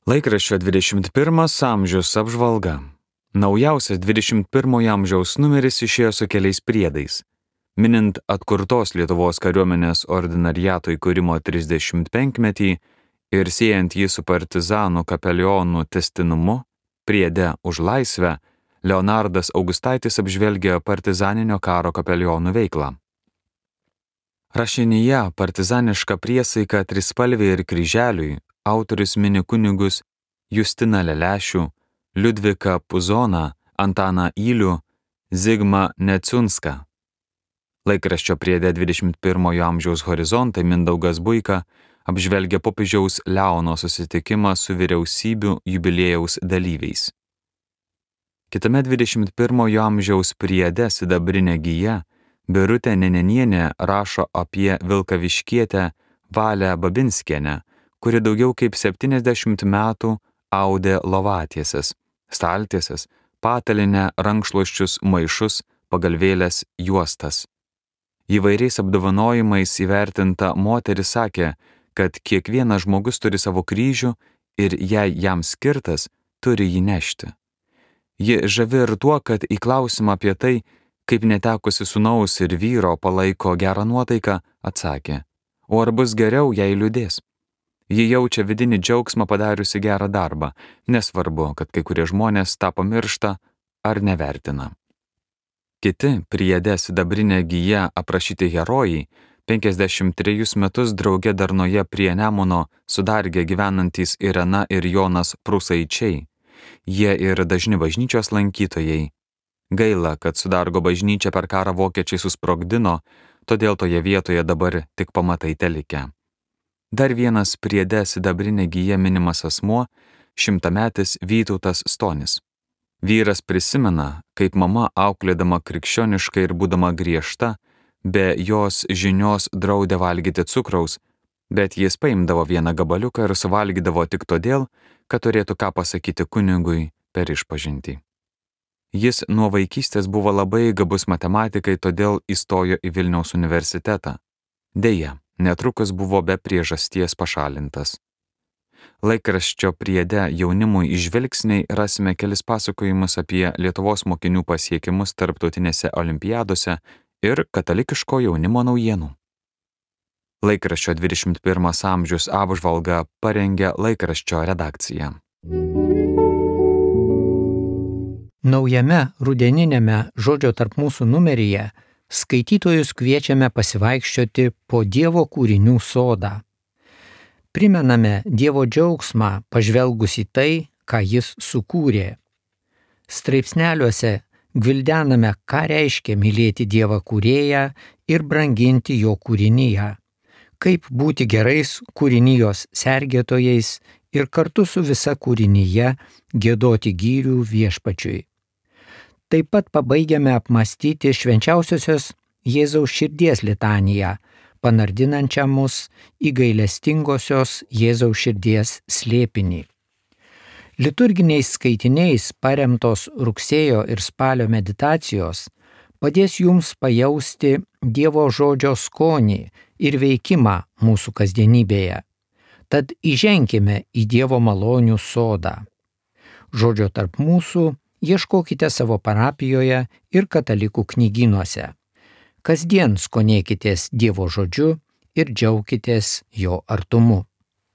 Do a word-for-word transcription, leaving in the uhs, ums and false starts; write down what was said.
Laikraščio dvidešimt pirmas amžius apžvalga. Naujausias dvidešimt pirmojo amžiaus numeris išėjo su keliais priedais. Minint atkurtos Lietuvos kariuomenės ordinariato įkūrimo trisdešimtpenkmetį ir siejant jį su partizanų kapelionų tęstinumu, priede už laisvę, Leonardas Augustaitis apžvelgia partizaninio karo kapelionų veiklą. Rašinyje partizaniška priesaika trispalvė ir kryželiui autorius mini kunigus Justiną Lelešių, Liudviką Puzoną, Antaną Ylių, Zigmą Neciunską. Laikraščio priede dvidešimt pirmojo amžiaus horizontai Mindaugas Buika apžvelgia popiežiaus Leono susitikimą su vyriausybių jubiliejaus dalyviais. Kitame dvidešimt pirmojo amžiaus priede Sidabrinė gija Birutė Nenenienė rašo apie Vilkaviškietę Valią Babinskienę, kuri daugiau kaip septyniasdešimt metų audė lovatieses, staltieses, patalinę, rankšluosčius, maišus, pagalvėlės, juostas. Įvairiais apdovanojimais įvertinta moteris sakė, kad kiekvienas žmogus turi savo kryžių ir jei jam skirtas, turi jį nešti. Ji žavi ir tuo, kad į klausimą apie tai, kaip netekusi sūnaus ir vyro palaiko gerą nuotaiką, atsakė, o ar bus geriau, jei liūdės? Ji jaučia vidinį džiaugsmą padariusi gerą darbą, nesvarbu, kad kai kurie žmonės tą pamiršta ar nevertina. Kiti priede Sidabrinė gija aprašyti herojai, penkiasdešimt trejus metus drauge darnoje prie Nemuno su Darge gyvenantys Irena ir Jonas Prūsaičiai. Jie ir dažni bažnyčios lankytojai. Gaila, kad Sudargo bažnyčią per karą vokiečiai susprogdino, todėl toje vietoje dabar tik pamatai telikę. Dar vienas priede Sidabrinė gija minimas asmuo, šimtametis Vytautas Stonis. Vyras prisimena, kaip mama auklėdama krikščioniškai ir būdama griežta, be jos žinios draudė valgyti cukraus, bet jis paimdavo vieną gabaliuką ir suvalgydavo tik todėl, kad turėtų ką pasakyti kunigui per išpažintį. Jis nuo vaikystės buvo labai gabus matematikai, todėl įstojo į Vilniaus universitetą. Deja, netrukus buvo be priežasties pašalintas. Laikraščio priede jaunimui įžvelgsniai rasime kelis pasakojimus apie Lietuvos mokinių pasiekimus tarptautinėse olimpiadose ir katalikiško jaunimo naujienų. Laikraščio dvidešimt pirmas amžius apžvalgą parengė laikraščio redakcija. Naujame rudeniniame Žodžio tarp mūsų numeryje skaitytojus kviečiame pasivaikščioti po Dievo kūrinių sodą. Primename Dievo džiaugsmą pažvelgus į tai, ką Jis sukūrė. Straipsneliuose gvildename, ką reiškia mylėti Dievą kūrėją ir branginti jo kūrinyje, kaip būti gerais kūrinijos sergėtojais ir kartu su visa kūrinyje giedoti gyrių Viešpačiui. Taip pat pabaigiame apmąstyti švenčiausiosios Jėzaus širdies litaniją, panardinančią mus į gailestingosios Jėzaus širdies slėpinį. Liturginiais skaitiniais paremtos rugsėjo ir spalio meditacijos padės jums pajausti Dievo žodžio skonį ir veikimą mūsų kasdienybėje. Tad įženkime į Dievo malonių sodą. Žodžio tarp mūsų ieškokite savo parapijoje ir katalikų knygynuose. Kasdien skonėkitės Dievo žodžiu ir džiaukitės jo artumu.